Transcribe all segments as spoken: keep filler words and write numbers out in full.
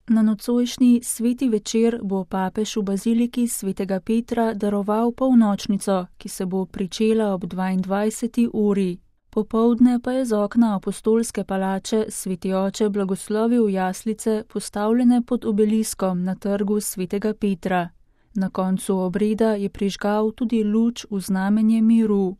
Na nocojšnji sveti večer bo papež v baziliki svetega Petra daroval polnočnico, ki se bo pričela ob dvaindvajseti uri. Popoldne pa je z okna apostolske palače sveti oče blagoslovil jaslice, postavljene pod obeliskom na trgu svetega Petra. Na koncu obreda je prižgal tudi luč v znamenje miru.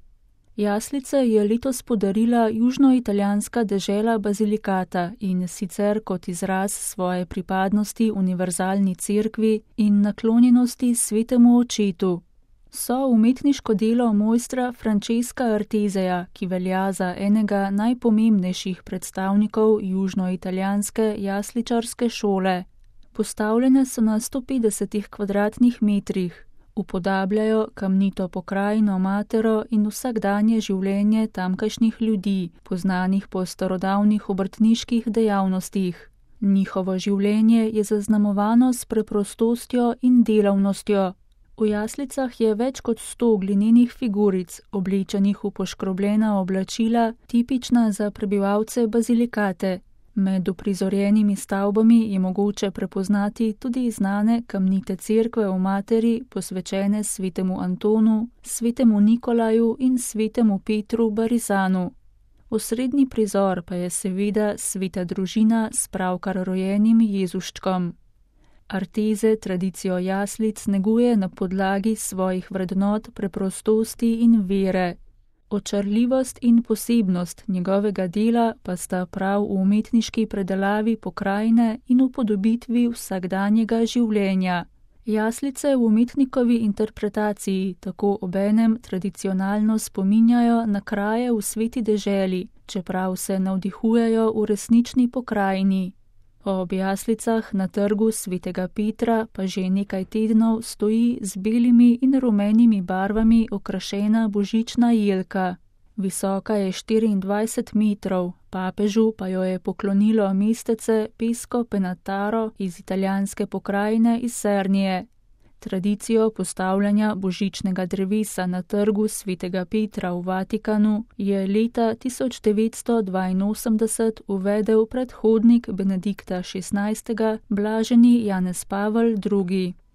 Jaslice je letos podarila južnoitalijanska dežela Basilicata in sicer kot izraz svoje pripadnosti univerzalni cerkvi in naklonjenosti svetemu očetu. So umetniško delo mojstra Francesca Arteseja, ki velja za enega najpomembnejših predstavnikov južnoitalijanske jasličarske šole. Postavljene so na sto petdesetih kvadratnih metrih. Upodabljajo kamnito pokrajino Matero in vsakdanje življenje tamkajšnjih ljudi, poznanih po starodavnih obrtniških dejavnostih. Njihovo življenje je zaznamovano s preprostostjo in delavnostjo. V jaslicah je več kot sto glinenih figuric, oblečenih v poškrobljena oblačila, tipična za prebivalce Basilicate. Med uprizorjenimi stavbami je mogoče prepoznati tudi znane kamnite cerkve v Materi, posvečene svetemu Antonu, svetemu Nikolaju in svetemu Petru Barisanu. Osrednji prizor pa je seveda sveta družina s pravkar rojenim Jezuščkom. Artese tradicijo jaslic neguje na podlagi svojih vrednot preprostosti in vere. Očarljivost in posebnost njegovega dela pa sta prav v umetniški predelavi pokrajine in upodobitvi vsakdanjega življenja. Jaslice v umetnikovi interpretaciji tako obenem tradicionalno spominjajo na kraje v sveti deželi, čeprav se navdihujejo v resnični pokrajini. Ob jaslicah na trgu svetega Petra pa že nekaj tednov stoji z belimi in rumenimi barvami okrašena božična jelka. Visoka je štiriindvajset metrov, papežu pa jo je poklonilo mestece Pesco Penataro iz italijanske pokrajine iz Sernije. Tradicijo postavljanja božičnega drevesa na trgu svetega Petra v Vatikanu je leta tisoč devetsto dvainosemdeset uvedel predhodnik Benedikta šestnajstega, blaženi Janez Pavel drugi.